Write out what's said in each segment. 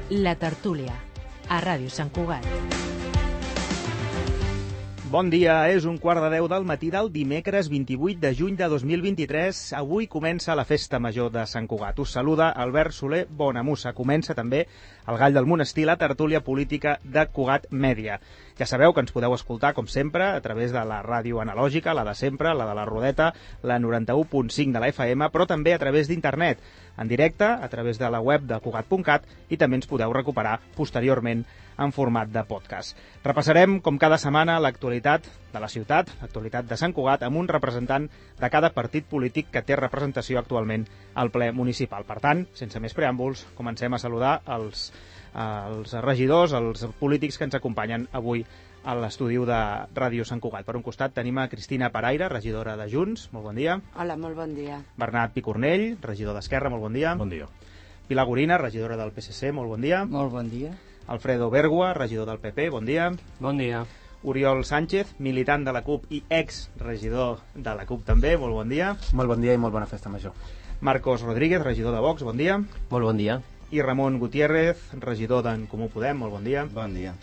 La Tertúlia, a Ràdio Sant Cugat. Bon dia, és 9:15 del matí del dimecres 28 de juny de 2023. Avui comença la Festa Major de Sant Cugat. Us saluda Albert Soler Bonamussa. Comença també el Gall del Monestir, la tertúlia política de Cugat Mèdia. Ja sabeu que ens podeu escoltar, com sempre, a través de la ràdio analògica, la de sempre, la de la Rodeta, la 91.5 de la FM, però també a través d'internet, en directe, a través de la web de Cugat.cat, i també ens podeu recuperar posteriorment en format de podcast. Repassarem, com cada setmana, l'actualitat de la ciutat, l'actualitat de Sant Cugat, amb un representant de cada partit polític que té representació actualment al ple municipal. Per tant, sense més preàmbuls, comencem a saludar els regidors, els polítics que ens acompanyen avui a l'estudi de Ràdio Sant Cugat. Per un costat tenim a Cristina Paraire, regidora de Junts. Molt bon dia. Hola, molt bon dia. Bernat Picornell, regidor d'Esquerra. Molt bon dia. Bon dia. Pilar Gorina, regidora del PSC. Molt bon dia. Molt bon dia. Alfredo Bergua, regidor del PP. Bon dia. Bon dia. Oriol Sánchez, militant de la CUP i ex-regidor de la CUP també. Molt bon dia. Molt bon dia i molt bona festa major. Marcos Rodríguez, regidor de Vox. Bon dia. Molt bon dia. I Ramon Gutiérrez, regidor d'en Comú Podem. Molt bon dia. Bon dia.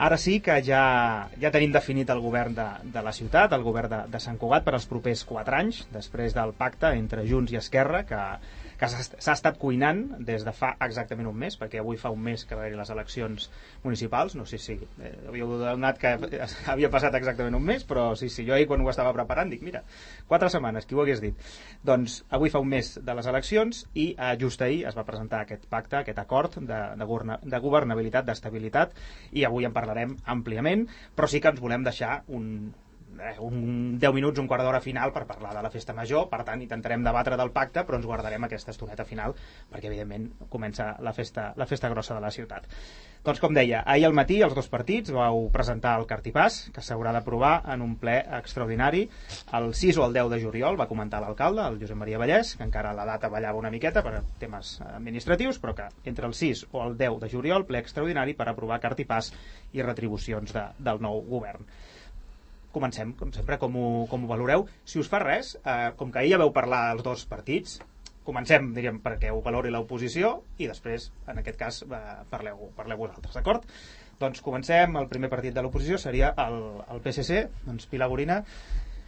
Ara sí que ja tenim definit el govern de la ciutat, el govern de Sant Cugat per als propers 4 anys, després del pacte entre Junts i Esquerra, que s'ha estat cuinant des de fa exactament un mes, perquè avui fa un mes que va haver-hi les eleccions municipals. No sé si havíeu donat que havia passat exactament un mes, però sí, jo ahir quan ho estava preparant dic, mira, 4 setmanes, qui ho hagués dit? Doncs avui fa un mes de les eleccions i just ahir es va presentar aquest pacte, aquest acord de governabilitat, d'estabilitat, i avui en parlarem àmpliament, però sí que ens volem deixar un 10 minuts, un quart d'hora final per parlar de la festa major. Per tant, intentarem debatre del pacte, però ens guardarem aquesta estoneta final perquè, evidentment, comença la festa grossa de la ciutat. Doncs, com deia, ahir al matí els dos partits vau presentar el cartipàs, que s'haurà d'aprovar en un ple extraordinari el 6 o el 10 de juliol. Va comentar l'alcalde, el Josep Maria Vallès, que encara la data ballava una miqueta per temes administratius, però que entre el 6 o el 10 de juliol, ple extraordinari per aprovar cartipàs i retribucions del nou govern. Comencem, com sempre, com ho valoreu. Si us fa res, com que ahir ja veu parlar els dos partits, comencem, diríem, perquè ho valori l'oposició i després, en aquest cas, parleu vosaltres, d'acord? Doncs comencem. El primer partit de l'oposició seria el PSC. Doncs, Pilar Gorina,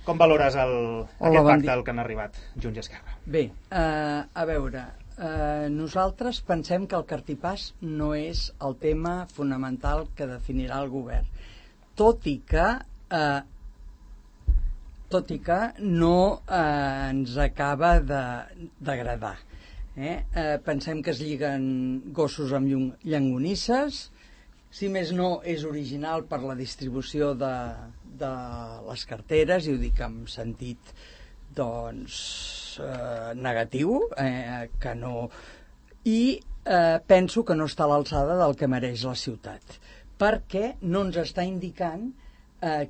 com valores aquest pacte al que han arribat Junts i Esquerra? Bé, a veure, nosaltres pensem que el cartipàs no és el tema fonamental que definirà el govern, tot i que no ens acaba d'agradar. Pensem que es lliguen gossos amb llonganisses. Si més no, és original per la distribució de les carteres, i ho dic en sentit negatiu, que no... I penso que no està a l'alçada del que mereix la ciutat, perquè no ens està indicant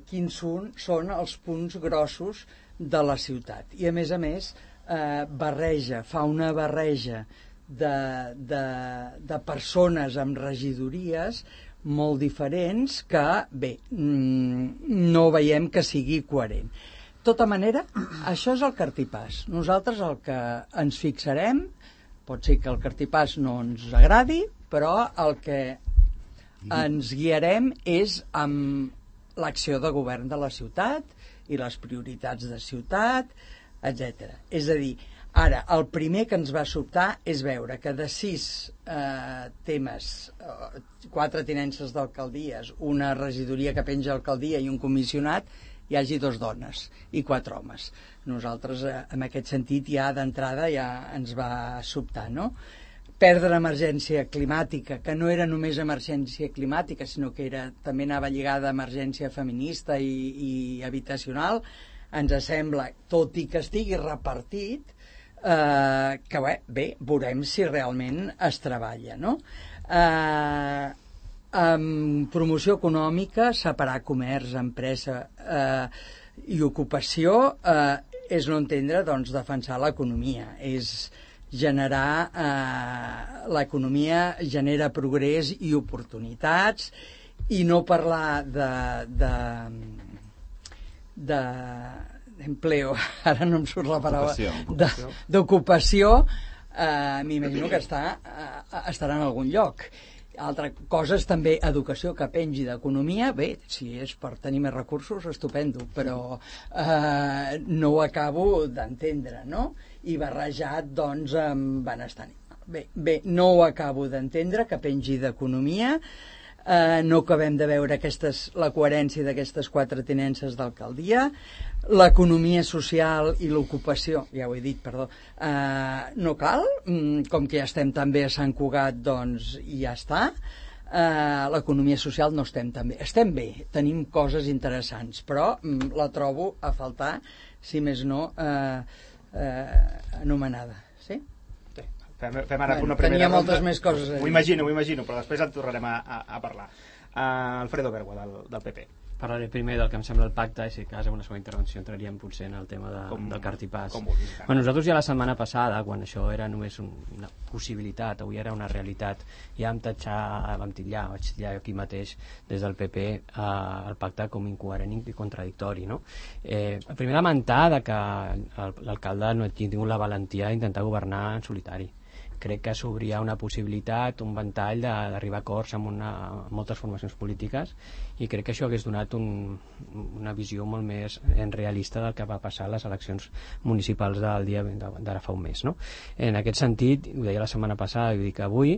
quins són els punts grossos de la ciutat. I, a més, fa una barreja de persones amb regidories molt diferents que, bé, no veiem que sigui coherent. De tota manera, això és el cartipàs. Nosaltres el que ens fixarem, pot ser que el cartipàs no ens agradi, però el que ens guiarem és amb l'acció de govern de la ciutat i les prioritats de ciutat, etc. És a dir, ara, el primer que ens va sobtar és veure que de 6 temes, 4 tinences d'alcaldies, una regidoria que penja alcaldia i un comissionat, hi hagi 2 dones i 4 homes. Nosaltres, en aquest sentit, ja d'entrada ja ens va sobtar, no? Perdre emergència climàtica, que no era només emergència climàtica, sinó que també anava lligada a emergència feminista i habitacional, ens sembla, tot i que estigui repartit, que bé, veurem si realment es treballa, no? Amb promoció econòmica, separar comerç, empresa i ocupació és no entendre, doncs, defensar l'economia, és generar l'economia genera progrés i oportunitats, i no parlar d'empleo, ara no em surt la paraula, d'ocupació, m'imagino que estarà en algun lloc. Altra cosa és també educació que pengi d'economia. Bé, si és per tenir més recursos, estupendo, però no ho acabo d'entendre, no? I barrejat, doncs, amb benestar animal. Bé, no ho acabo d'entendre, que pengi d'economia. No acabem de veure la coherència d'aquestes 4 tinences d'alcaldia. L'economia social i l'ocupació, ja ho he dit, perdó, no cal, com que ja estem també a Sant Cugat, doncs ja està. L'economia social no estem tan bé. Estem bé, tenim coses interessants, però la trobo a faltar, si més no, anomenada. Sí? Fem ara una primera tenia ronda. Moltes més coses a dir. Ho imagino, però després en tornarem a parlar. Alfredo Bergua, del PP. Parlaré primer del que em sembla el pacte, i si cas en una segona intervenció entraríem potser en el tema del cartipàs. Nosaltres ja la setmana passada, quan això era només una possibilitat, avui era una realitat, ja vaig titllar aquí mateix des del PP el pacte com incoherent i contradictori, no? Primer lamentar que l'alcalde no hagi tingut la valentia d'intentar governar en solitari. Crec que s'obria una possibilitat, un ventall d'arribar a acords amb moltes formacions polítiques, i crec que això hagués donat una visió molt més realista del que va passar a les eleccions municipals del dia d'ara fa un mes, no? En aquest sentit, ho deia la setmana passada i ho dic avui,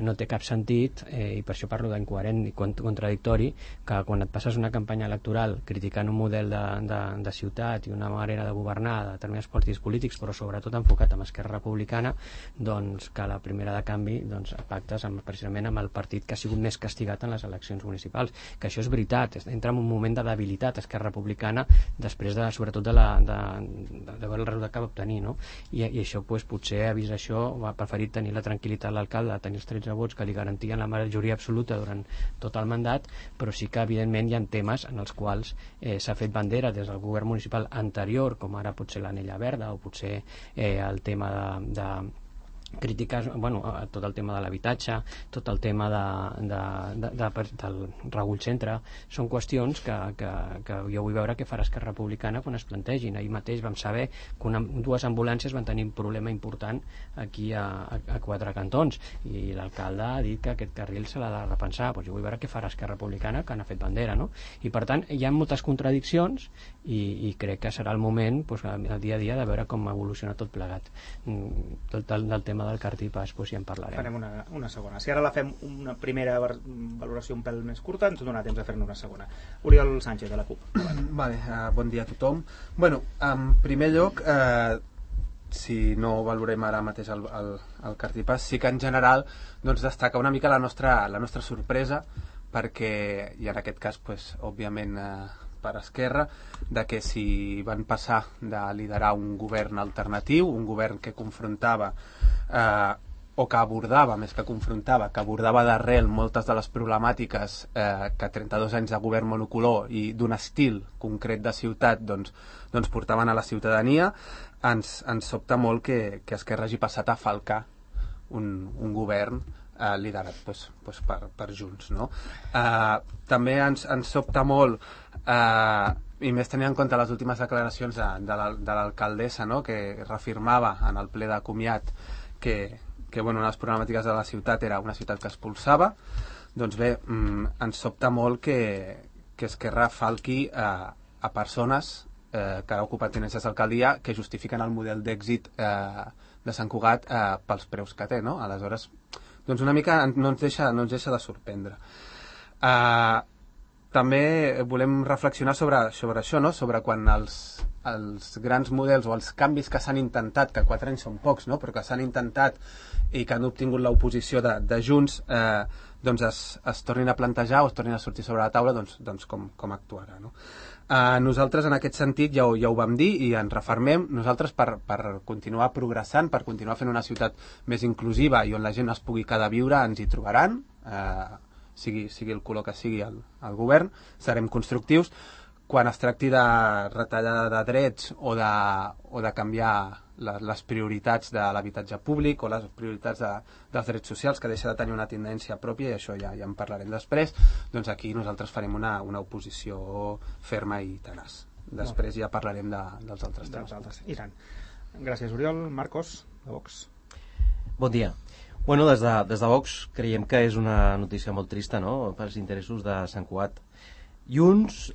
no té cap sentit, i per això parlo d'incoherent i contradictori, que quan et passes una campanya electoral criticant un model de ciutat i una manera de governar de determinats partits polítics, però sobretot enfocat amb Esquerra Republicana, doncs que la primera de canvi pactes precisament amb el partit que ha sigut més castigat en les eleccions municipals, que això és veritat, entra en un moment de debilitat Esquerra Republicana després sobretot de veure el resultat que va obtenir, no? I això potser ha vist això, ha preferit tenir la tranquil·litat l'alcalde, tenir els 13 vots que li garantien la majoria absoluta durant tot el mandat, però sí que evidentment hi ha temes en els quals s'ha fet bandera des del govern municipal anterior, com ara potser l'anella verda o potser el tema de crítiques, tot el tema de l'habitatge, tot el tema del Ragull Centre, són qüestions que jo vull veure què farà Esquerra Republicana quan es plantegin. Ahir mateix vam saber que dues ambulàncies van tenir un problema important aquí a 4 cantons, i l'alcalde ha dit que aquest carril se l'ha de repensar. Jo vull veure què farà Esquerra Republicana, que n'ha fet bandera, no? I per tant hi ha moltes contradiccions, i crec que serà el moment, el dia a dia, de veure com evoluciona tot plegat. Del tema del cartipàs ja en parlarem. Farem una segona. Si ara la fem una primera valoració un pèl més curta, ens donarà temps de fer-ne una segona. Oriol Sánchez, de la CUP. Bon dia a tothom. En primer lloc, si no valorem ara mateix el cartipàs, sí que en general destaca una mica la nostra sorpresa, perquè, i en aquest cas òbviament per Esquerra, de que si van passar de liderar un govern alternatiu, un govern que confrontava o que abordava, més que confrontava, que abordava d'arrel moltes de les problemàtiques que 32 anys de govern monocolor i d'un estil concret de ciutat portaven a la ciutadania, ens sobta molt que Esquerra hagi passat a falcar un govern liderat per Junts, no? També ens sobta molt, i més tenint en compte les últimes declaracions de l'alcaldessa, no?, que reafirmava en el ple de comiat que una de les problemàtiques de la ciutat era una ciutat que expulsava. Doncs bé, ens sobta molt que Esquerra falqui a persones que han ocupat tinences d'alcaldia que justifiquen el model d'èxit de Sant Cugat pels preus que té, no? Aleshores, una mica no ens deixa de sorprendre. També volem reflexionar sobre això, no? Sobre quan els grans models o els canvis que s'han intentat, que 4 anys són pocs, no?, però que s'han intentat i que han obtingut l'oposició de Junts, es tornin a plantejar o es tornin a sortir sobre la taula, com actuarà, no? Nosaltres en aquest sentit ja ho vam dir i ens refermem. Nosaltres per continuar progressant, per continuar fent una ciutat més inclusiva i on la gent es pugui quedar a viure, ens hi trobaran, sigui el color que sigui el govern, serem constructius. Quan es tracti de retallada de drets o de canviar les prioritats de l'habitatge públic o les prioritats dels drets socials, que deixa de tenir una tendència pròpia, i això ja en parlarem després, doncs aquí nosaltres farem una oposició ferma i tenaç. Després ja parlarem dels altres temes. Iran. Gràcies, Oriol. Marcos, de Vox. Bon dia. Bueno, des de Vox creiem que és una notícia molt trista, no?, pels interessos de Sant Cugat. Junts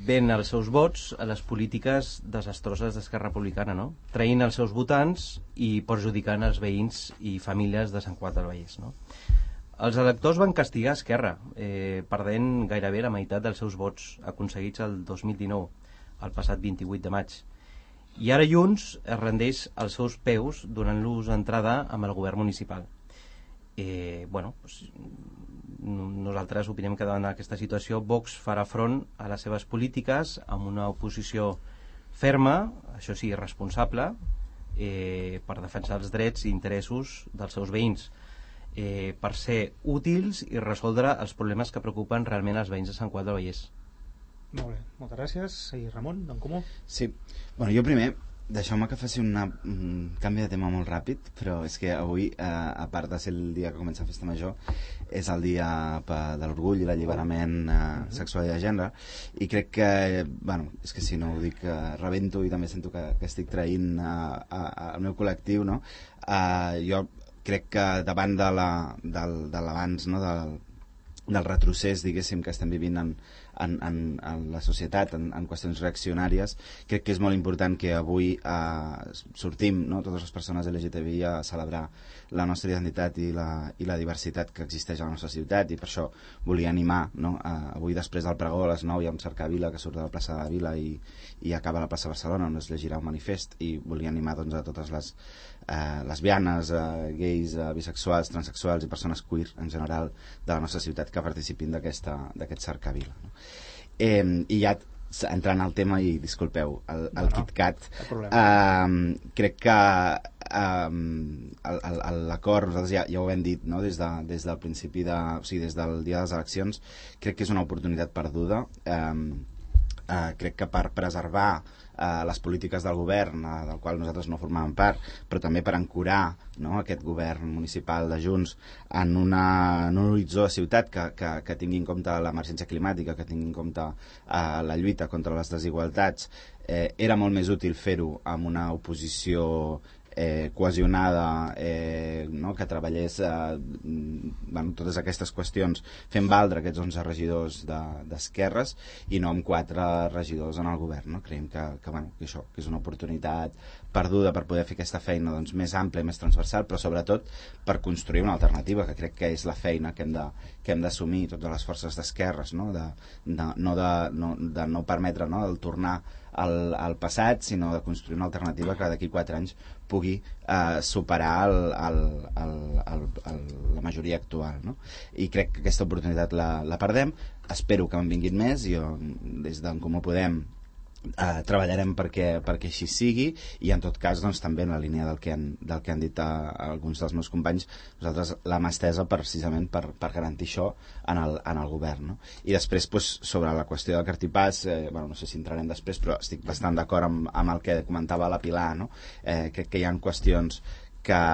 ven els seus vots a les polítiques desastroses d'Esquerra Republicana, no?, traint els seus votants i perjudicant els veïns i famílies de Sant Cugat del Vallès, no? Els electors van castigar Esquerra, perdent gairebé la meitat dels seus vots aconseguits el 2019, el passat 28 de maig. I ara Junts es rendeix als seus peus donant-los entrada amb el govern municipal. Nosaltres opinem que davant d'aquesta situació Vox farà front a les seves polítiques amb una oposició ferma, això sí, responsable, per defensar els drets i interessos dels seus veïns, per ser útils i resoldre els problemes que preocupen realment els veïns de Sant Cugat del Vallès. Molt bé, moltes gràcies. I Ramon, d'en Comú? Sí, bueno, jo primer deixeu-me que faci un canvi de tema molt ràpid, però és que avui, a part de ser el dia que comença la festa major, és el dia de l'orgull i l'alliberament sexual i de gènere, i crec que, bueno, és que si no ho dic, rebento i també sento que estic traint al meu col·lectiu, no? Jo crec que davant de l'abans, no?, del retrocés, diguéssim, que estem vivint en la societat, en qüestions reaccionàries, crec que és molt important que avui sortim, no?, totes les persones LGTBI a celebrar la nostra identitat i la diversitat que existeix a la nostra ciutat, i per això volia animar, no?, avui després del pregó a les 9 hi ha un cercavila que surt de la plaça de la Vila i acaba a la plaça de Barcelona, on es llegirà un manifest, i volia animar, doncs, a totes les lesbianes, gais, bisexuals, transexuals i persones queer en general de la nostra ciutat que participin d'aquest cercavila, no? I ja entrant al tema, i disculpeu, el KitKat, crec que l'acord, nosaltres ja ho hem dit, no?, des del principi o sigui, des del dia de les eleccions, crec que és una oportunitat perduda. Crec que per preservar les polítiques del govern, del qual nosaltres no formàvem part, però també per ancorar, no?, aquest govern municipal de Junts en un horitzó de ciutat que tingui en compte l'emergència climàtica, que tingui en compte la lluita contra les desigualtats, era molt més útil fer-ho amb una oposició cohesionada, no?, que treballés totes aquestes qüestions fent valdre aquests 11 regidors d'esquerres i no amb 4 regidors en el govern, no? Creiem que això és una oportunitat perduda per poder fer aquesta feina, doncs, més àmplia, més transversal, però sobretot per construir una alternativa, que crec que és la feina que hem d'assumir totes les forces d'esquerres, no?, de no permetre, no?, el tornar al passat, sinó de construir una alternativa que d'aquí 4 anys pugui superar la majoria actual, no? I crec que aquesta oportunitat la perdem. Espero que en vinguin més. Jo, des d'en Comú Podem, treballarem perquè així sigui, i en tot cas, doncs, també en la línia del que han dit alguns dels meus companys, nosaltres l'hem estesa precisament per garantir això en el govern, no? I després, sobre la qüestió del cartipàs, no sé si entrarem després, però estic bastant d'acord amb el que comentava la Pilar, no? Crec que hi ha qüestions que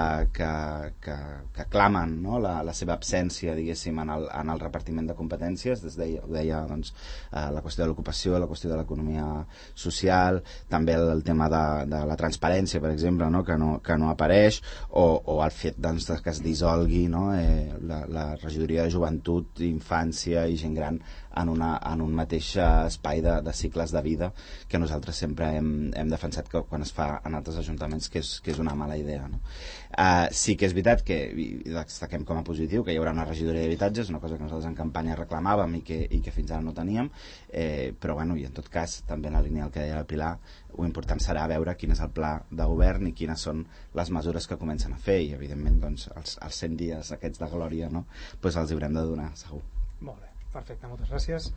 clamen, no?, la seva absència, diguéssim, en el repartiment de competències. Ho deia, doncs, la qüestió de l'ocupació, la qüestió de l'economia social, també el tema de la transparència, per exemple, no?, que no apareix, o el fet, doncs, que es dissolgui, no?, la regidoria de joventut, infància i gent gran en un mateix espai de cicles de vida, que nosaltres sempre hem defensat que quan es fa en altres ajuntaments que és una mala idea, no? Sí que és veritat que destaquem com a positiu que hi haurà una regidoria d'habitatges, una cosa que nosaltres en campanya reclamàvem i que fins ara no teníem, però i en tot cas, també en la línia del que deia la Pilar, ho important serà veure quin és el pla de govern i quines són les mesures que comencen a fer, i evidentment, doncs, els 100 dies aquests de glòria, no?, doncs els haurem de donar, segur. Molt bé, perfecte, moltes gràcies.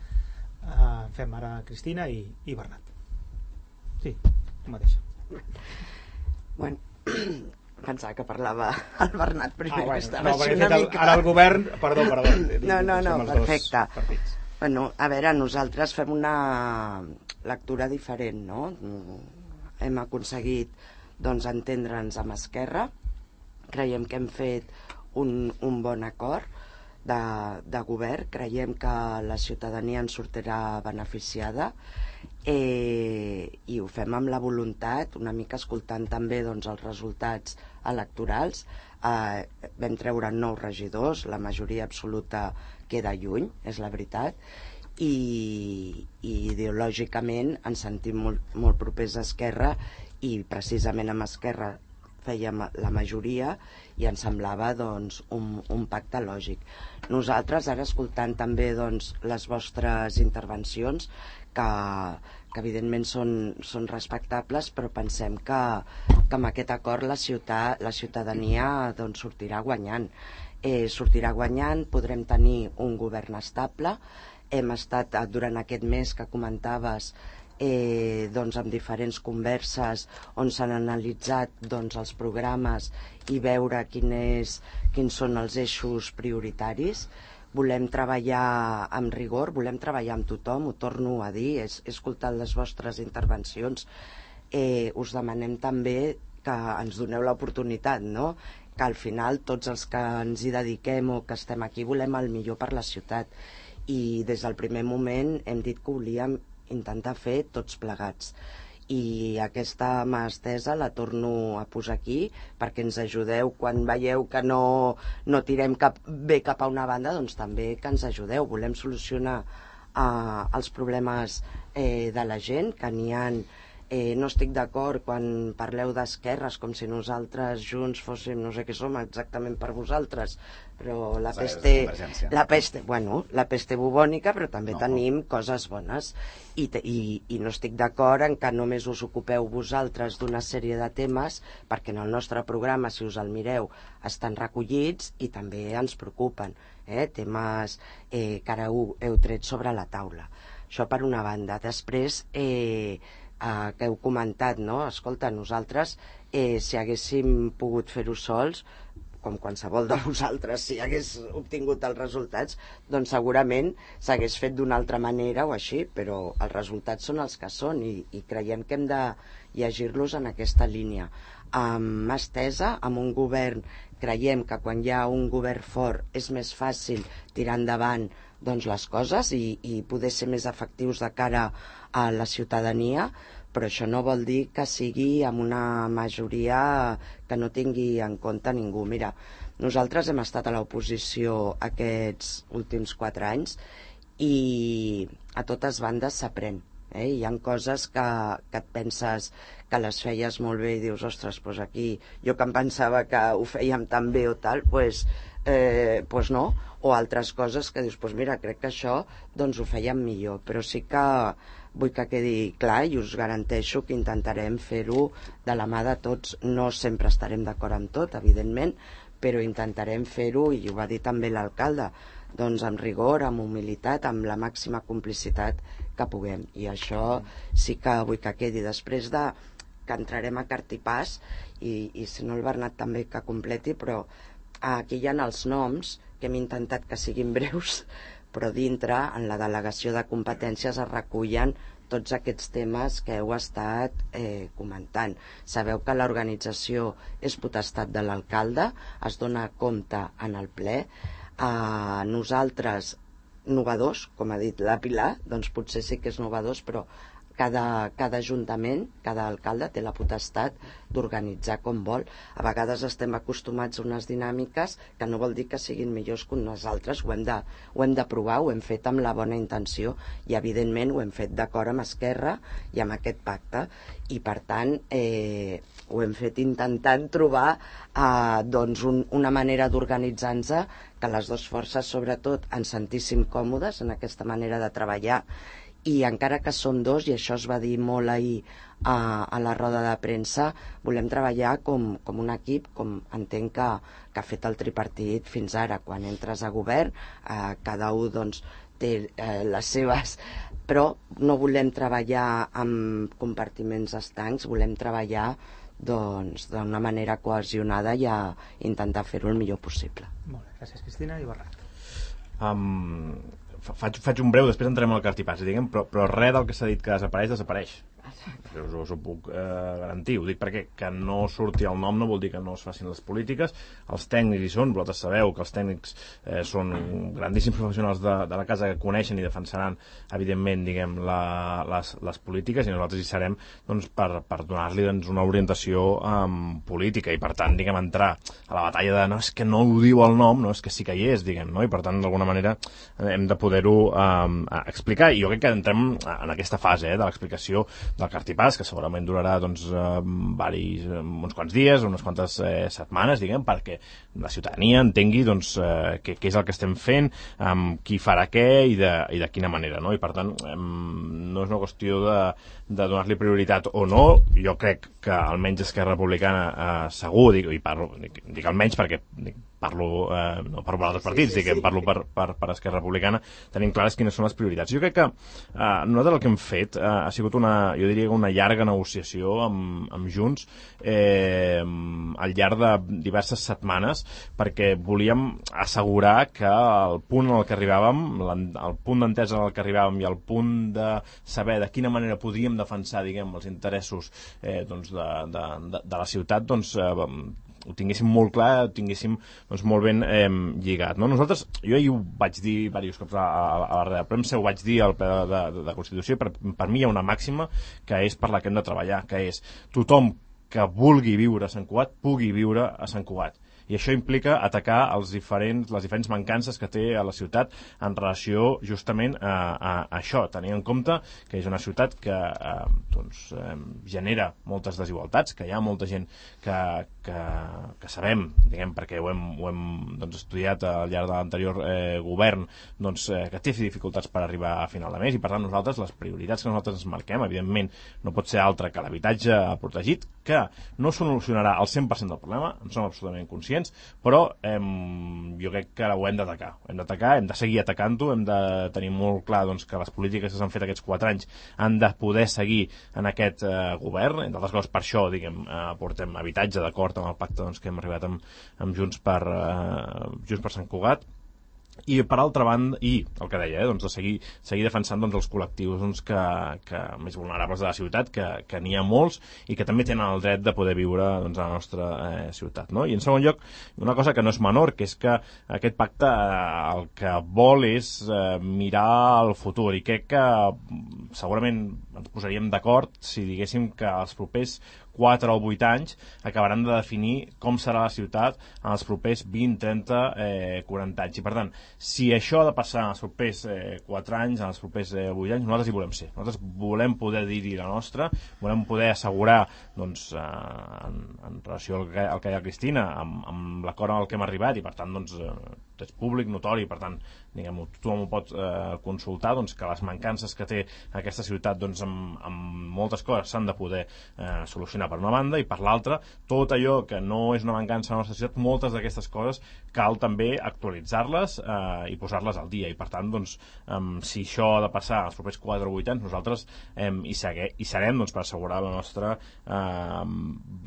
Fem ara Cristina i Bernat. Sí, tu mateixa. Bueno, pensava que parlava el Bernat primer, que estava així una mica... Ara el govern... Perdó. No, perfecte. Bueno, a veure, nosaltres fem una lectura diferent, no? Hem aconseguit, doncs, entendre'ns amb Esquerra. Creiem que hem fet un bon acord. de govern. Creiem que la ciutadania en sortirà beneficiada i ho fem amb la voluntat, una mica escoltant també doncs, els resultats electorals. Vam treure 9 regidors, la majoria absoluta queda lluny, és la veritat, i ideològicament ens sentim molt propers a Esquerra, i precisament amb Esquerra fèiem la majoria i ens semblava doncs, un pacte lògic. Nosaltres, ara escoltant també doncs, les vostres intervencions, que evidentment són respectables, però pensem que amb aquest acord la ciutadania doncs, sortirà guanyant. Sortirà guanyant, podrem tenir un govern estable. Hem estat durant aquest mes que comentaves doncs, amb diferents converses on s'han analitzat doncs, els programes i veure quins són els eixos prioritaris. Volem treballar amb rigor, volem treballar amb tothom, ho torno a dir, he escoltat les vostres intervencions. Us demanem també que ens doneu l'oportunitat, no? Que al final tots els que ens hi dediquem o que estem aquí volem el millor per la ciutat, i des del primer moment hem dit que volíem intentar fer tots plegats, i aquesta mà estesa la torno a posar aquí perquè ens ajudeu quan veieu que no tirem bé cap a una banda, doncs també que ens ajudeu. Volem solucionar els problemes de la gent, que n'hi ha. No estic d'acord quan parleu d'esquerres com si nosaltres junts fóssim no sé què som exactament per vosaltres, però la peste bubònica, però també tenim coses bones, i no estic d'acord en que només us ocupeu vosaltres d'una sèrie de temes, perquè en el nostre programa, si us el mireu, estan recollits i també ens preocupen, temes que ara heu tret sobre la taula. Això per una banda. Després, que heu comentat, no? Escolta, nosaltres, si haguéssim pogut fer-ho sols, com qualsevol de vosaltres, si hagués obtingut els resultats, doncs segurament s'hagués fet d'una altra manera o així, però els resultats són els que són, i creiem que hem de llegir-los en aquesta línia. Amb mà estesa, amb un govern, creiem que quan hi ha un govern fort és més fàcil tirar endavant doncs, les coses i poder ser més efectius de cara a la ciutadania, però això no vol dir que sigui amb una majoria que no tingui en compte ningú. Mira, nosaltres hem estat a l'oposició aquests últims 4 anys i a totes bandes s'aprèn. Hi ha coses que et penses que les feies molt bé i dius, ostres, doncs aquí jo que em pensava que ho fèiem tan bé o tal, doncs no, o altres coses que dius, doncs mira, crec que això doncs ho fèiem millor, però sí que vull que quedi clar i us garanteixo que intentarem fer-ho de la mà de tots. No sempre estarem d'acord amb tot, evidentment, però intentarem fer-ho, i ho va dir també l'alcalde, doncs amb rigor, amb humilitat, amb la màxima complicitat que puguem, i això sí que vull que quedi. Després que entrarem a cartipàs, i si no el Bernat també que completi, però aquí hi ha els noms que hem intentat que siguin breus, però dintre, en la delegació de competències, es recullen tots aquests temes que heu estat comentant. Sabeu que l'organització és potestat de l'alcalde, es dona compte en el ple. Nosaltres, novedors, com ha dit la Pilar, doncs potser sí que és novedors, però cada ajuntament, cada alcalde té la potestat d'organitzar com vol. A vegades estem acostumats a unes dinàmiques que no vol dir que siguin millors que unes altres. Ho hem de provar, ho hem fet amb la bona intenció i evidentment ho hem fet d'acord amb Esquerra i amb aquest pacte, i per tant ho hem fet intentant trobar doncs una manera d'organitzar-nos que les dues forces sobretot ens sentíssim còmodes en aquesta manera de treballar. I encara que som dos, i això es va dir molt ahir a la roda de premsa, volem treballar com un equip, com entenc que ha fet el tripartit fins ara. Quan entres a govern, cada un doncs, té les seves... Però no volem treballar amb compartiments estancs, volem treballar doncs, d'una manera cohesionada i intentar fer-ho el millor possible. Molt bé, gràcies Cristina. I Bernat. Faig un breu, després entrem al cartipàs, diguem, però res del que s'ha dit que desapareix. Us ho puc garantir. Ho dic perquè que no surti el nom no vol dir que no es facin les polítiques. Els tècnics hi són, vosaltres sabeu que els tècnics són grandíssims professionals de la casa que coneixen i defensaran, evidentment, diguem, les polítiques, i nosaltres hi serem doncs, per donar-li doncs, una orientació política i, per tant, diguem, entrar a la batalla de no, és que no ho diu el nom, no, és que sí que hi és, diguem, no? I, per tant, d'alguna manera hem de poder-ho explicar, i jo crec que entrem en aquesta fase de l'explicació del cartipàs, que segurament durarà doncs, uns quants dies, unes quantes setmanes, diguem, perquè la ciutadania entengui doncs, què és el que estem fent, qui farà què i de quina manera, no? I per tant no és una qüestió de donar-li prioritat o no. Jo crec que almenys Esquerra Republicana segur, dic almenys perquè parlo no parlo per altres partits, parlo per Esquerra Republicana, tenim clares quines són les prioritats. Jo crec que nosaltres el que hem fet ha sigut jo diria una llarga negociació amb Junts al llarg de diverses setmanes, perquè volíem assegurar que el punt en el que arribàvem, el punt d'entesa en el que arribàvem i el punt de saber de quina manera podríem defensar, diguem, els interessos doncs, de la ciutat, doncs ho tinguéssim molt clar, ho tinguéssim doncs, molt ben lligat. No? Nosaltres, jo ahir ho vaig dir diversos cops a la ràdio de premsa, ho vaig dir al ple de Constitució, i per mi hi ha una màxima que és per la que hem de treballar, que és tothom que vulgui viure a Sant Cugat pugui viure a Sant Cugat. I això implica atacar les diferents mancances que té a la ciutat en relació justament a això, tenint en compte que és una ciutat que genera moltes desigualtats, que hi ha molta gent que sabem, diguem, perquè ho hem doncs, estudiat al llarg de l'anterior govern, doncs, que té dificultats per arribar a final de mes, i per tant nosaltres, les prioritats que nosaltres ens marquem, evidentment no pot ser altra que l'habitatge protegit, que no solucionarà el 100% del problema, en som absolutament conscients, però jo crec que ho hem d'atacar, hem de seguir atacant-ho, hem de tenir molt clar doncs, que les polítiques que s'han fet aquests 4 anys han de poder seguir en aquest govern, entre altres coses per això, diguem, portem habitatge d'acord amb el pacte doncs, que hem arribat amb Junts per Sant Cugat. I per altra banda, i el que deia, doncs de seguir defensant doncs, els col·lectius doncs, que més vulnerables de la ciutat, que n'hi ha molts i que també tenen el dret de poder viure doncs, a la nostra ciutat. No? I en segon lloc, una cosa que no és menor, que és que aquest pacte el que vol és mirar al futur, i crec que segurament ens posaríem d'acord si diguéssim que els propers 4 o 8 anys acabaran de definir com serà la ciutat en els propers 20, 30, 40 anys. I per tant, si això ha de passar en els propers 4 anys, en els propers 8 anys, nosaltres hi volem ser. Nosaltres volem poder dir-hi la nostra, volem poder assegurar, doncs, en relació al que deia Cristina, amb l'acord al que hem arribat, i per tant, doncs, és públic, notori, per tant, diguem-ho, tothom ho pot consultar, doncs, que les mancances que té aquesta ciutat doncs, amb moltes coses s'han de poder solucionar per una banda, i per l'altra, tot allò que no és una mancança a la nostra ciutat, moltes d'aquestes coses cal també actualitzar-les i posar-les al dia, i per tant, doncs, si això ha de passar els propers 4 o 8 anys, nosaltres hi serem doncs, per assegurar la nostra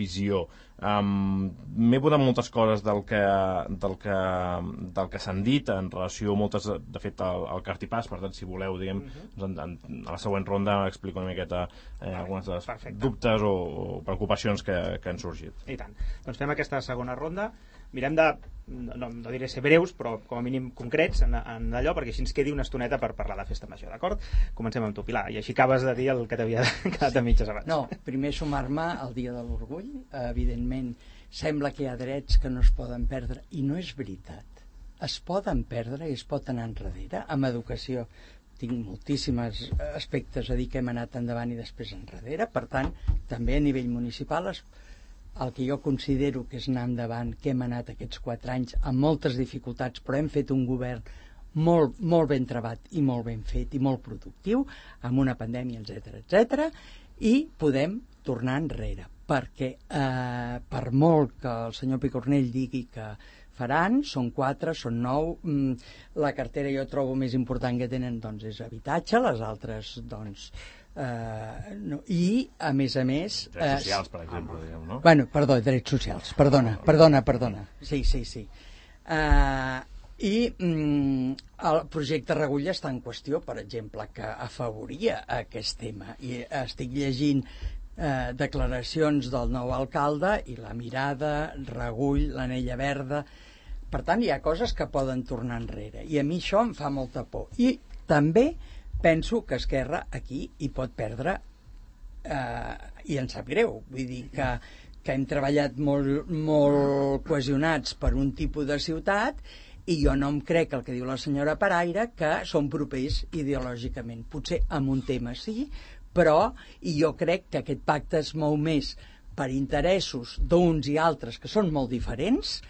visió. M'he posat moltes coses del que s'han dit en relació, moltes de fet al cartipàs, per tant si voleu diguem, a la següent ronda explico una miqueta algunes dels dubtes o preocupacions que han sorgit. I tant, doncs fem aquesta segona ronda, mirem de no diré ser breus, però com a mínim concrets en allò, perquè així ens quedi una estoneta per parlar de festa major, d'acord? Comencem amb tu, Pilar, i així acabes de dir el que t'havia quedat a mitges abans. No, primer sumar-me al Dia de l'Orgull. Evidentment sembla que hi ha drets que no es poden perdre, i no és veritat. Es poden perdre i es pot anar enrere. Amb educació tinc moltíssims aspectes a dir que hem anat endavant i després enrere, per tant, també a nivell municipal el que jo considero que és anar endavant, que hem anat aquests 4 anys amb moltes dificultats, però hem fet un govern molt, molt ben trebat i molt ben fet i molt productiu, amb una pandèmia, etc, i podem tornar enrere, perquè per molt que el senyor Picornell digui que faran, són 4, són 9, la cartera jo trobo més important que tenen doncs és habitatge, les altres doncs no. I a més drets socials, per exemple, diguem, no? Bueno, perdó, drets socials, perdona sí. I el projecte Regull està en qüestió, per exemple, que afavoria aquest tema. I estic llegint declaracions del nou alcalde i la mirada, Regull, l'anella verda. Per tant, hi ha coses que poden tornar enrere. I a mi això em fa molta por. I també penso que Esquerra aquí hi pot perdre i em sap greu. Vull dir que hem treballat molt cohesionats per un tipus de ciutat i jo no em crec el que diu la senyora Paraire, que són propers ideològicament. Potser en un tema sí, però jo crec que aquest pacte es mou més per interessos d'uns i altres que són molt diferents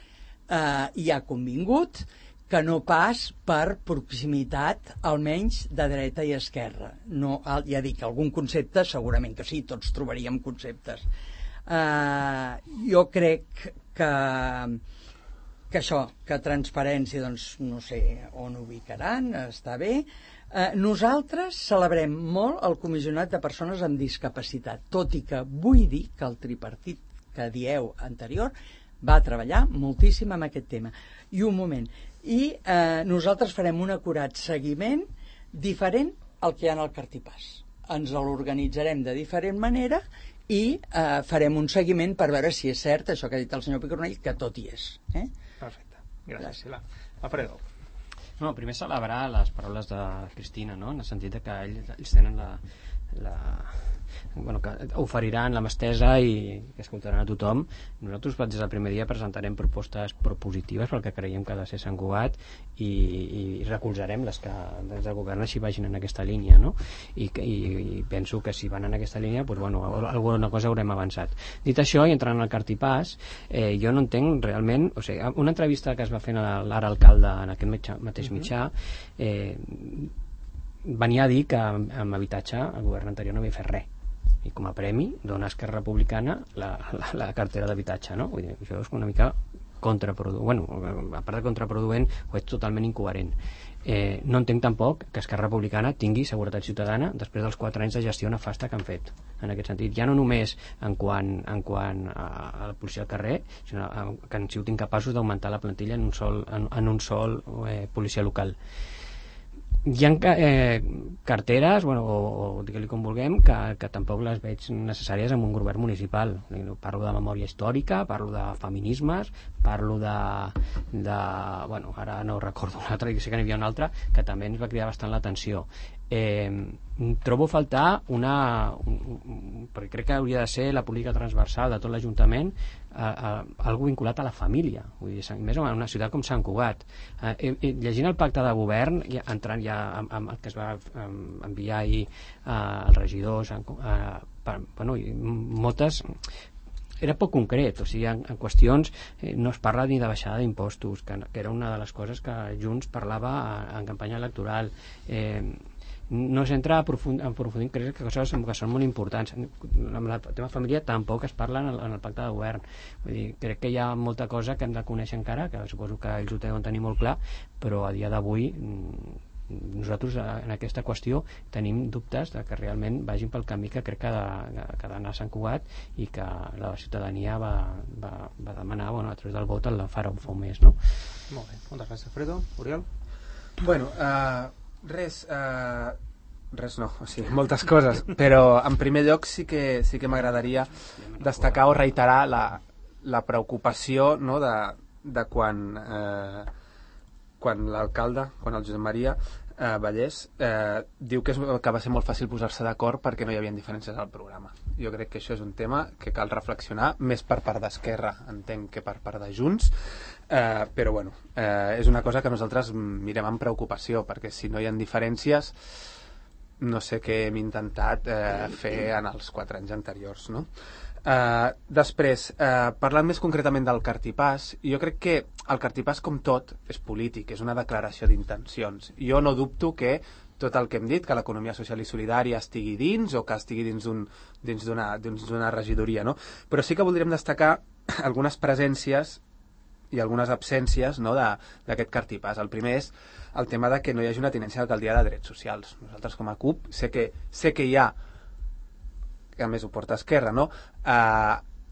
i ha convingut, que no pas per proximitat, almenys de dreta i esquerra. No, ja dic, algun concepte segurament que sí, tots trobaríem conceptes. Jo crec que això, que transparència, doncs no sé on ubicaran, està bé. Nosaltres celebrem molt el comissionat de persones amb discapacitat, tot i que vull dir que el tripartit que dieu anterior va treballar moltíssim amb aquest tema. I un moment, nosaltres farem un acurat seguiment diferent al que hi ha al Cartipàs. Ens l'organitzarem de diferent manera i farem un seguiment per veure si és cert això que ha dit el senyor Picornell, que tot hi és. Perfecte, gràcies. Alfredo. No, primer celebrar les paraules de Cristina, no? En el sentit que ells tenen que oferiran la mà estesa i que escoltaran a tothom. Nosaltres des del primer dia presentarem propostes propositives pel que creiem que ha de ser Sant Cugat i recolzarem les que des del govern així vagin en aquesta línia, no? I penso que si van en aquesta línia alguna cosa haurem avançat. Dit això, i entrant al Cartipàs, jo no entenc realment, o sigui, una entrevista que es va fer a l'ara alcalde en aquest mateix mitjà venia a dir que amb habitatge el govern anterior no havia fet res i com a premi dona a Esquerra Republicana la cartera d'habitatge, no? Vull dir, això és una mica contraproduent, a part de contraproduent ho és totalment incoherent. No entenc tampoc que Esquerra Republicana tingui seguretat ciutadana després dels 4 anys de gestió nefasta que han fet en aquest sentit, ja no només en quant a la policia al carrer, sinó que han sigut incapaços d'augmentar la plantilla en un sol policia local. Hi ha carteres, o digue-li com vulguem, que tampoc les veig necessàries en un govern municipal. Parlo de memòria històrica, parlo de feminismes, parlo de ara no recordo una altra, sé que n'hi havia una altra que també ens va cridar bastant l'atenció. Trobo a faltar perquè crec que hauria de ser la política transversal de tot l'Ajuntament algo vinculat a la família, vull dir, més en una ciutat com Sant Cugat. Llegint el pacte de govern, entrant ja amb el que es va enviar ahir als regidors, moltes era poc concret, o sigui, en qüestions no es parla ni de baixada d'impostos, que era una de les coses que Junts parlava en campanya electoral. No s'entra a aprofundir crec que coses que són molt importants. Amb el tema família tampoc es parla en el pacte de govern. Vull dir, crec que hi ha molta cosa que hem de conèixer encara, que suposo que ells ho deuen tenir molt clar, però a dia d'avui nosaltres en aquesta qüestió tenim dubtes de que realment vagin pel camí que crec que ha d'anar a Sant Cugat i que la ciutadania va demanar a través del vot el farà un mes, no? Molt bé, moltes gràcies, Alfredo. Oriol? Bueno, res no, o sigui, moltes coses, però en primer lloc sí que m'agradaria destacar o reiterar la preocupació, no, de quan l'alcalde, quan el Josep Maria Vallès diu que va ser molt fàcil posar-se d'acord perquè no hi havia diferències al programa. Jo crec que això és un tema que cal reflexionar més per part d'Esquerra, entenc, que per part de Junts, però bueno, és una cosa que nosaltres mirem amb preocupació, perquè si no hi ha diferències no sé què hem intentat fer en els 4 anys anteriors, no? Després, parlant més concretament del Cartipàs, jo crec que el Cartipàs, com tot, és polític, és una declaració d'intencions. Jo no dubto que tot el que hem dit, que l'economia social i solidària estigui dins o que estigui dins d'una regidoria, no? Però sí que voldríem destacar algunes presències i algunes absències, no, d'aquest Cartipàs. El primer és el tema de que no hi hagi una tinència d'alcaldia de drets socials. Nosaltres, com a CUP, sé que hi ha, que a més ho porta Esquerra, no?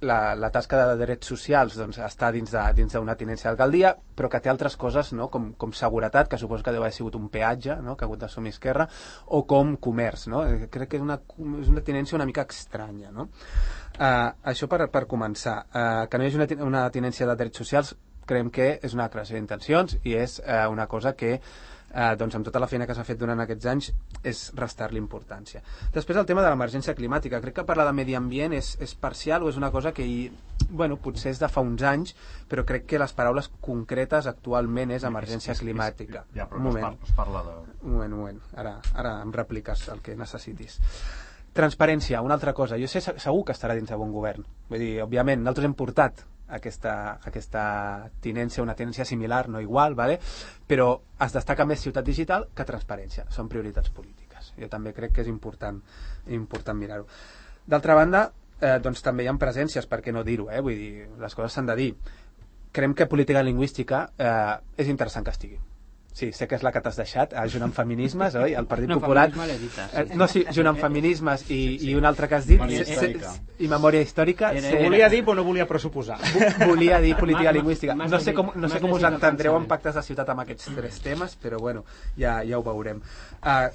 la tasca de drets socials doncs, està dins d'una tinència d'alcaldia, però que té altres coses, no? com seguretat, que suposo que deu haver sigut un peatge, no? que ha hagut d'assumir Esquerra, o com comerç. No? Crec que és una tinència una mica estranya. No? Això per començar. Que no hi hagi una tinència de drets socials, creiem que és una declaració d'intencions i és una cosa que doncs amb tota la feina que s'ha fet durant aquests anys és restar-li importància. Després el tema de l'emergència climàtica. Crec que parlar de medi ambient és parcial o és una cosa que potser és de fa uns anys, però crec que les paraules concretes actualment és emergència climàtica. Ja, però no es parla de... Un moment. Ara em repliques el que necessitis. Transparència, una altra cosa. Jo sé segur que estarà dins de bon govern. Vull dir, òbviament, nosaltres hem portat aquesta tinència, una tinència similar, no igual, ¿vale? Però es destaca més ciutat digital que transparència. Són prioritats polítiques. Jo també crec que és important mirar-ho. D'altra banda, doncs també hi ha presències, per què no dir-ho, vull dir, les coses s'han de dir. Creiem que política lingüística és interessant que estigui. Sí, sé que és la que t'has deixat, Junt amb Feminismes, oi? El Partit Popular... No, sí, Junt amb Feminismes i un altre que has dit... I Memòria Històrica... Volia dir, però no volia pressuposar. Volia dir política lingüística. No sé com us entendreu en pactes de ciutat amb aquests tres temes, però bueno, ja ho veurem.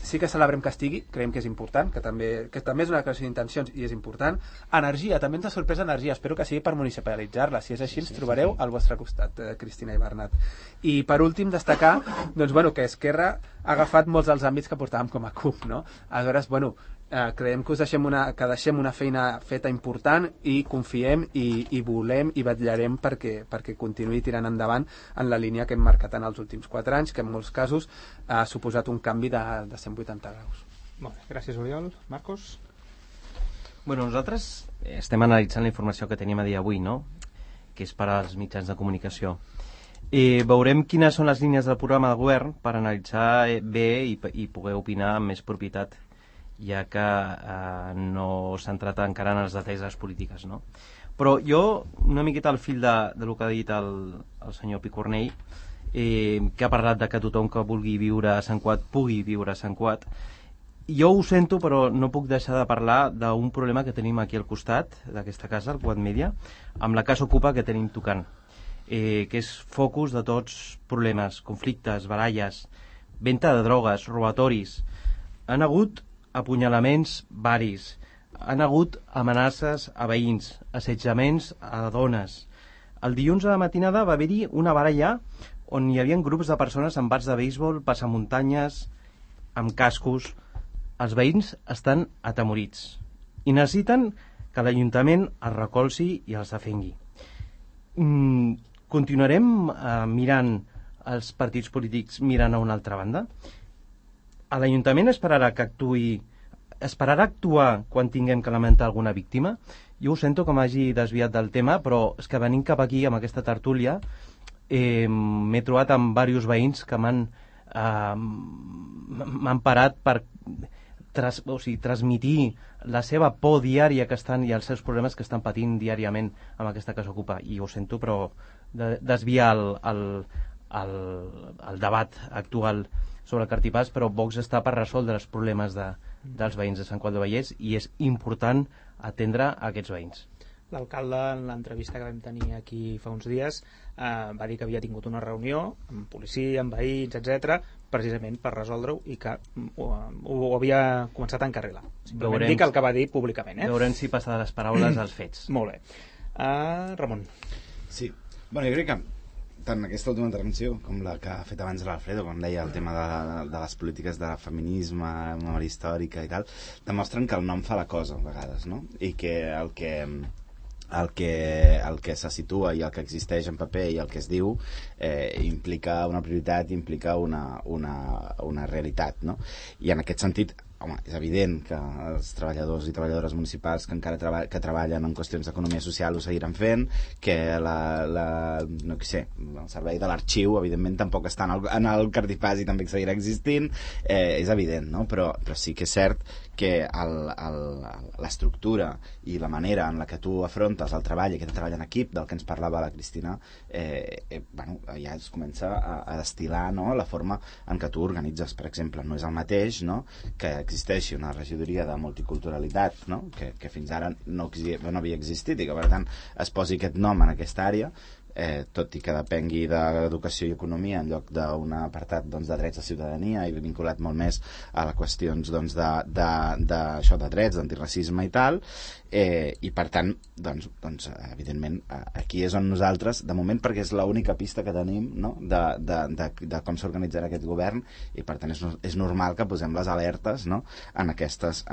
Sí que celebrem que estigui, creiem que és important, que també és una declaració d'intencions i és important. Energia, també ens ha sorprès energia, espero que sigui per municipalitzar-la. Si és així, ens trobareu al vostre costat, Cristina i Bernat. I per últim, destacar doncs, que Esquerra ha agafat molts dels àmbits que portàvem com a CUP, no? Aleshores, creiem que deixem una feina feta important i confiem i volem i vetllarem perquè continuï tirant endavant en la línia que hem marcat en els últims 4 anys, que en molts casos ha suposat un canvi de 180 graus. Molt bé, gràcies, Oriol. Marcos? Nosaltres estem analitzant la informació que tenim a dia avui, no? Que és per als mitjans de comunicació. Veurem quines són les línies del programa de govern per analitzar bé i poder opinar amb més propietat, ja que no s'ha entrat encara en els detalls de les polítiques, no? Però jo, una miqueta al fil del que ha dit el senyor Picornell, que ha parlat de que tothom que vulgui viure a Sant Cugat pugui viure a Sant Cugat, jo ho sento, però no puc deixar de parlar d'un problema que tenim aquí al costat d'aquesta casa, el Cugat Media, amb la Casa Ocupa que tenim tocant. Que és focus de tots problemes, conflictes, baralles, venda de drogues, robatoris. Han hagut apunyalaments varis, han hagut amenaces a veïns, assetjaments a dones. El dilluns a la matinada va haver-hi una baralla on hi havia grups de persones amb bats de béisbol, passamuntanyes, amb cascos. Els veïns estan atemorits i necessiten que l'Ajuntament els recolzi i els defengui. Continuarem mirant els partits polítics mirant a una altra banda? L'Ajuntament esperarà actuar quan tinguem que lamentar alguna víctima? Jo ho sento que m'hagi desviat del tema, però és que venint cap aquí amb aquesta tertúlia m'he trobat amb diversos veïns que m'han parat per transmitir la seva por diària que estan i els seus problemes que estan patint diàriament amb aquesta Casa Ocupa. I ho sento, però desviar el debat actual sobre el Cartipàs, però Vox està per resoldre els problemes dels veïns de Sant Cugat del Vallès i és important atendre aquests veïns. L'alcalde, en l'entrevista que vam tenir aquí fa uns dies, va dir que havia tingut una reunió amb policia, amb veïns, etc, precisament per resoldre-ho i que ho havia començat a encarrilar. Simplement dic el que va dir públicament. Veurem si passa de les paraules als fets. Molt bé. Ramon. Sí. Jo crec que tant aquesta última intervenció com la que ha fet abans l'Alfredo, quan deia el tema de les polítiques de feminisme, memòria històrica i tal, demostren que el nom fa la cosa a vegades, no? I que el que se situa i el que existeix en paper i el que es diu implica una prioritat, implica una realitat, no? I en aquest sentit, home, és evident que els treballadors i treballadores municipals que encara treballen en qüestions d'economia social ho seguiran fent, que no sé, el servei de l'arxiu evidentment tampoc està en el Cartipàs i també seguirà existint, és evident, no? Però sí que és cert que l'estructura i la manera en la que tu afrontes el treball i aquest treball en equip del que ens parlava la Cristina ja es comença a destil·lar, no? La forma en què tu organitzes, per exemple, no és el mateix, no? Que existeixi una regidoria de multiculturalitat, no? que fins ara no havia existit i que per tant es posi aquest nom en aquesta àrea, tot i que depengui d'educació i economia en lloc d'un apartat de drets de ciutadania i vinculat molt més a les qüestions això de drets, d'antiracisme i tal, i per tant evidentment aquí és on nosaltres, de moment, perquè és l'única pista que tenim, no? de com s'organitzarà aquest govern, i per tant és normal que posem les alertes, no? en aquestes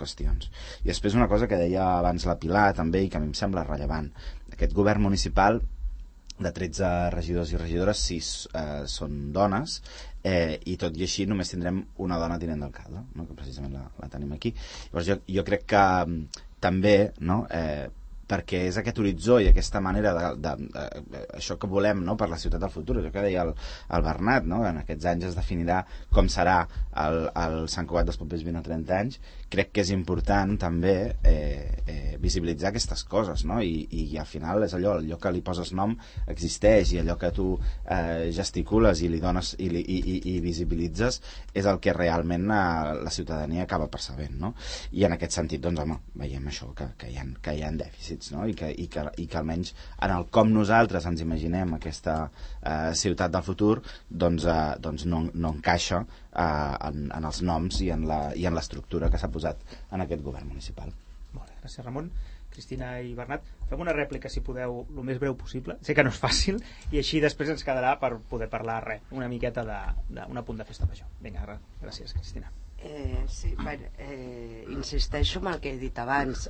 qüestions. I després una cosa que deia abans la Pilar també i que a mi em sembla rellevant: aquest govern municipal de 13 regidors i regidores, 6 són dones, i tot i així només tindrem una dona tinent d'alcalde, no? Que precisament la tenim aquí. Llavors jo crec que també, no? Perquè és aquest horitzó i aquesta manera això que volem, no? Per la ciutat del futur, això que deia el Bernat, no? En aquests anys es definirà com serà el Sant Cugat dels propers 20 o 30 anys. Crec que és important també visibilitzar aquestes coses, no? I al final és allò que li poses nom existeix, i allò que tu gesticules i li dones i visibilitzes és el que realment la ciutadania acaba percebent, no? I en aquest sentit, doncs home, veiem això, que hi ha dèficits, no? I que almenys en el com nosaltres ens imaginem aquesta ciutat del futur doncs no encaixa en els noms i en l'estructura que s'ha posat en aquest govern municipal. Molt bé, gràcies Ramon. Cristina i Bernat, fem una rèplica si podeu el més breu possible, sé que no és fàcil, i així després ens quedarà per poder parlar una miqueta d'un apunt de festa major. Vinga, gràcies Cristina. Sí, insisteixo en el que he dit abans.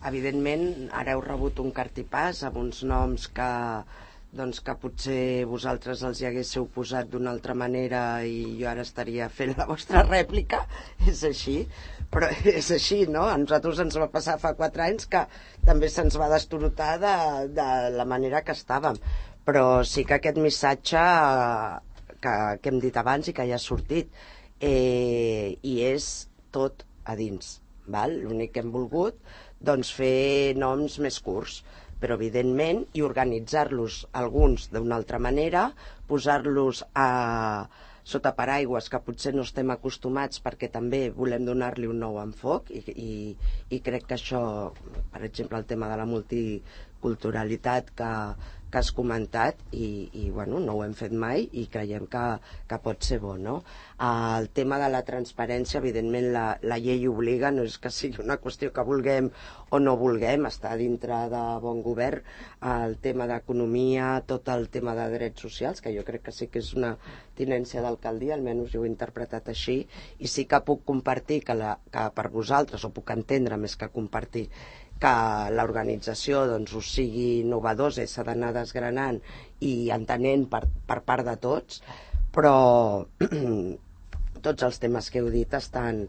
Evidentment ara heu rebut un cartipàs amb uns noms que potser vosaltres els hi haguéssiu posat d'una altra manera i jo ara estaria fent la vostra rèplica, és així, però és així, no? A nosaltres ens va passar fa 4 anys que també se'ns va destorotar de la manera que estàvem, però sí que aquest missatge que hem dit abans i que ja ha sortit, i és tot a dins, val? L'únic que hem volgut fer noms més curts, però evidentment, i organitzar-los alguns d'una altra manera, posar-los sota paraigües que potser no estem acostumats perquè també volem donar-li un nou enfoc i crec que això, per exemple, el tema de la multiculturalitat que has comentat i bueno, no ho hem fet mai i creiem que pot ser bo, no? El tema de la transparència, evidentment la llei obliga, no és que sigui una qüestió que vulguem o no vulguem, està dintre de bon govern, el tema d'economia, tot el tema de drets socials, que jo crec que sí que és una tinència d'alcaldia, almenys jo ho he interpretat així, i sí que puc compartir que per vosaltres, o puc entendre més que compartir, que l'organització us sigui innovadora i s'ha d'anar desgranant i entenent per part de tots, però tots els temes que heu dit estan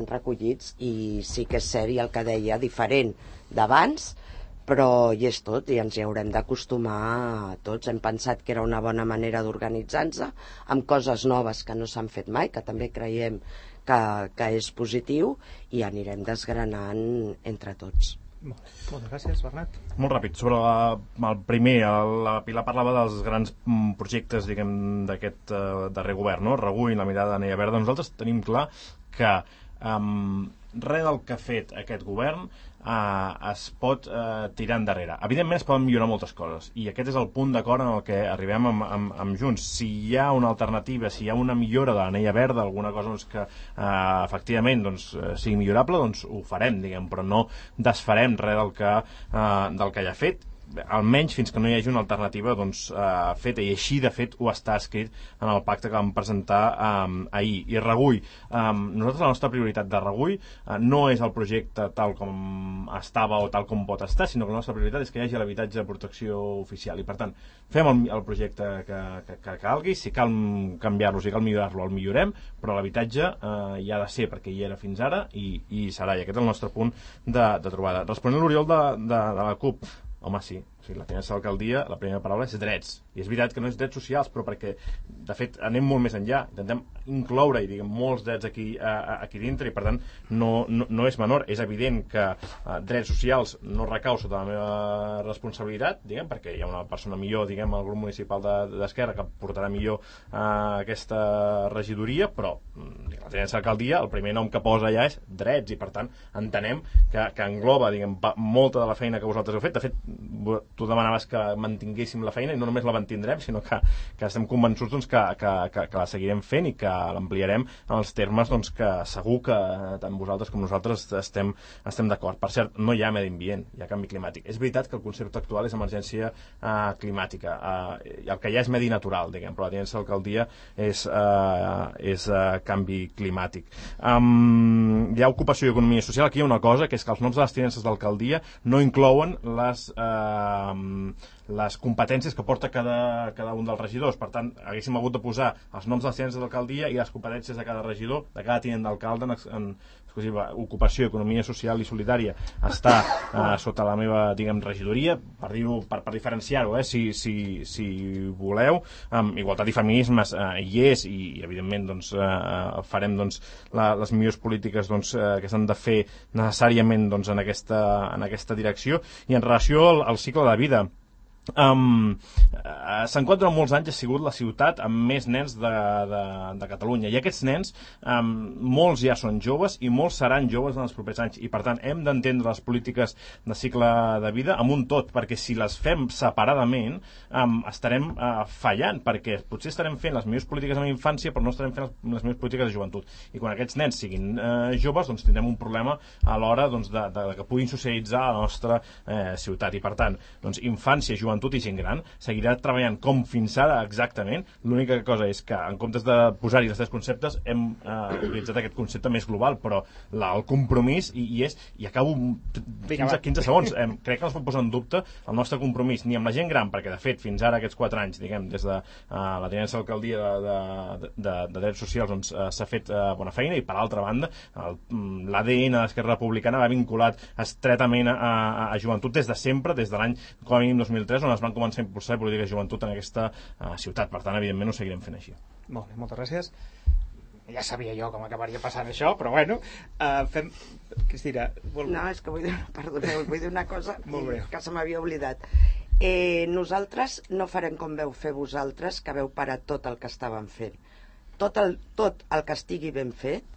recollits i sí que és cert, i el que deia, diferent d'abans, però hi és tot i ens hi haurem d'acostumar tots. Hem pensat que era una bona manera d'organitzar-nos amb coses noves que no s'han fet mai, que també creiem que és positiu, i anirem desgranant entre tots. Moltes gràcies, Bernat. Molt ràpid, sobre el primer, la Pilar parlava dels grans projectes, diguem, d'aquest darrer govern, no? Regull, la mirada de Neia Verda. Nosaltres tenim clar que res del que ha fet aquest govern es pot tirar endarrere. Evidentment es poden millorar moltes coses i aquest és el punt d'acord en el que arribem amb Junts. Si hi ha una alternativa, si hi ha una millora de la Neia Verda, alguna cosa que efectivament sigui millorable, doncs ho farem, diguem, però no desfarem res del que ja ha fet, almenys fins que no hi hagi una alternativa feta, i així de fet ho està escrit en el pacte que vam presentar ahir. I Regull, nosaltres la nostra prioritat de Regull no és el projecte tal com estava o tal com pot estar, sinó que la nostra prioritat és que hi hagi l'habitatge de protecció oficial, i per tant fem el projecte que calgui, si cal canviar-lo, si cal millorar-lo, el millorem, però l'habitatge hi ha de ser, perquè hi era fins ara i serà, i aquest és el nostre punt de trobada. Responent a l'Oriol de la CUP, home, sí, O sigui, la tinença d'alcaldia, la primera paraula és drets. I és veritat que no és drets socials, però perquè, de fet, anem molt més enllà. Intentem incloure, i diguem, molts drets aquí dintre, i per tant no és menor. És evident que drets socials no recau sota la meva responsabilitat, diguem, perquè hi ha una persona millor, diguem, al grup municipal d'Esquerra que portarà millor aquesta regidoria, però la tinença d'alcaldia, el primer nom que posa allà és drets, i per tant entenem que engloba, diguem, molta de la feina que vosaltres heu fet. De fet, tu demanaves que mantinguéssim la feina, i no només la mantindrem, sinó que estem convençuts doncs, que la seguirem fent i que l'ampliarem en els termes doncs, que segur que tant vosaltres com nosaltres estem d'acord. Per cert, no hi ha medi ambient, hi ha canvi climàtic. És veritat que el concepte actual és emergència climàtica, i el que hi ha és medi natural, diguem, però la tinença d'alcaldia és canvi climàtic. Hi ha ocupació i economia social. Aquí hi ha una cosa, que és que els noms de les tinences d'alcaldia no inclouen les competències que porta cada un dels regidors. Per tant, haguéssim hagut de posar els noms de les tinences d'alcaldia i les competències de cada regidor, de cada tinent d'alcalde en exclusiva. Ocupació, economia social i solidària està sota la meva, diguem, regidoria, per diferenciar-ho, si voleu. Igualtat i feminismes hi és, i evidentment doncs, farem doncs, les millors polítiques doncs, que s'han de fer necessàriament doncs, en aquesta direcció. I en relació al cicle de vida, Sant Cugat durant molts anys ha sigut la ciutat amb més nens de Catalunya, i aquests nens molts ja són joves i molts seran joves en els propers anys, i per tant hem d'entendre les polítiques de cicle de vida amb un tot, perquè si les fem separadament estarem fallant, perquè potser estarem fent les millors polítiques en la infància però no estarem fent les millors polítiques de joventut, i quan aquests nens siguin joves doncs tindrem un problema a l'hora doncs, de que puguin socialitzar a la nostra ciutat, i per tant doncs, infància, joventut i gent gran seguirà treballant com fins ara exactament. L'única cosa és que en comptes de posar-hi els tres conceptes hem utilitzat aquest concepte més global, però el compromís i acabo 15 segons, crec que no es pot posar en dubte el nostre compromís ni amb la gent gran, perquè de fet fins ara aquests 4 anys, diguem, des de la tinença d'alcaldia de drets socials doncs, s'ha fet bona feina, i per altra banda l'ADN d'Esquerra Republicana va vinculat estretament a joventut des de sempre, des de l'any com a mínim 2003, on es van començar a impulsar polítiques de joventut en aquesta ciutat. Per tant, evidentment, ho seguirem fent així. Molt bé, moltes gràcies. Ja sabia jo com acabaria passant això, però bueno, fem... Cristina... No, és que vull dir una cosa que se m'havia oblidat. Nosaltres no farem com veu fer vosaltres, que veu parar tot el que estàvem fent. Tot el que estigui ben fet,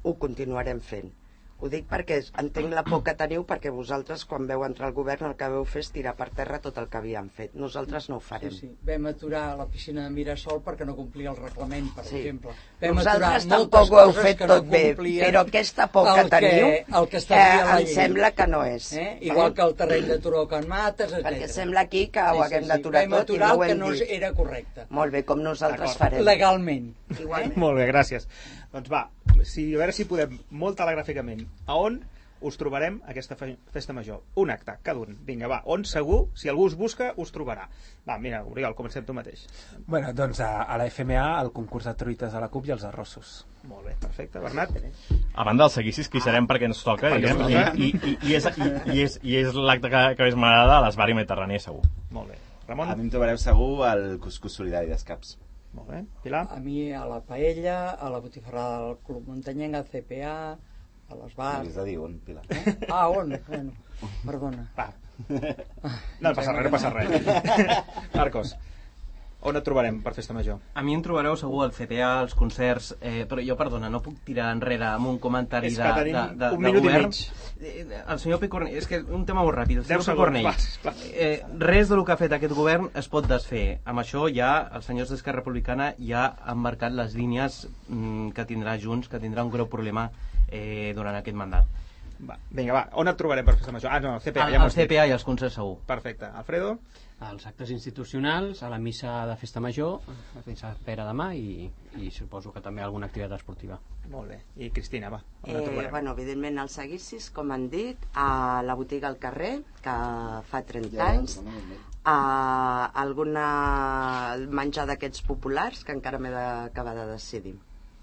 ho continuarem fent. Ho dic perquè entenc la por que teniu, perquè vosaltres, quan veu entrar al govern, el que veu fer és tirar per terra tot el que havíem fet. Nosaltres no ho farem. Sí. Vam aturar la piscina de Mirasol perquè no complia el reglament, per exemple. Nosaltres tampoc ho heu fet tot bé, però aquesta por que teniu em sembla que no és. Igual que el terreny de Turó Can Mates, etc. Perquè sembla aquí que ho haguem d'aturar tot i no ho hem dit. Vam aturar el que no era correcte. Molt bé, com nosaltres farem. Legalment. Molt bé, gràcies. Doncs va, a veure si podem molt telegràficament. A on us trobarem aquesta festa major? Un acte, cada un. Vinga, va, on segur, si algú us busca, us trobarà. Va, mira, Oriol, comencem tu mateix. Bueno, doncs a la FMA, el concurs de truites de la CUP i els arrossos. Molt bé, perfecte. Bernat? A banda dels seguicis que hi serem perquè ens toca, diguem, i és l'acte que més m'agrada a l'Esbarri Mediterrani, segur. Molt bé. Ramon? A mi em trobareu segur al cuscús solidari d'Escaps. Molt bé. Pilar? A mi a la Paella, a la botifarrada del Club Muntanyenc, al CPA, a l'Esbar. M'has de dir on, Pilar. On? Bueno, perdona. Va. No passa res. Marcos, on et trobarem per festa major? A mi em trobareu segur al CTA, als concerts, però jo, perdona, no puc tirar enrere amb un comentari de govern. És que tenim un minut i mig. El senyor Picornell, és que un tema molt ràpid. El senyor Picornell, res del que ha fet aquest govern es pot desfer. Amb això ja els senyors d'Esquerra Republicana ja han marcat les línies que tindrà Junts, que tindrà un greu problema durant aquest mandat. Vinga, va, on et trobarem per festa major? No, el CPA. Al CPA i als concerts segur. Perfecte. Alfredo? Als actes institucionals, a la missa de festa major, fins a Pere demà, i suposo que també alguna activitat esportiva. Molt bé. I Cristina, va, on et trobarem? Bueno, evidentment als seguicis, com han dit, a la botiga al carrer, que fa 30 anys, a alguna menjar d'aquests populars, que encara m'he d'acabar de decidir.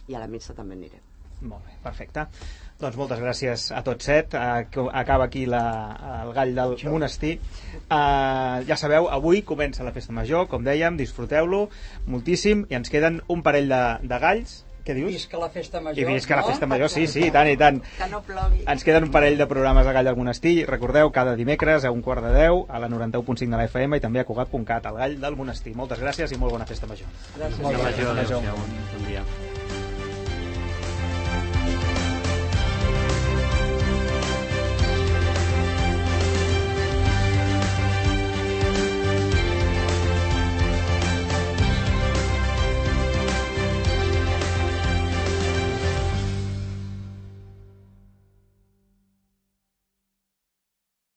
I a la missa també aniré. Molt bé, perfecte. Doncs moltes gràcies a tots set. Acaba aquí el gall del monestir. Ja sabeu, avui comença la festa major, com dèiem, disfruteu-lo moltíssim, i ens queden un parell de galls. Què dius? Visca la festa major. I visca la festa major, sí, i tant, i tant. Que no plogui. Ens queden un parell de programes de Gall del Monestir. Recordeu, cada dimecres a 9:15 a la 91.5 de la FM i també a Cugat.cat, el Gall del Monestir. Moltes gràcies i molt bona festa major. Gràcies. Bon dia.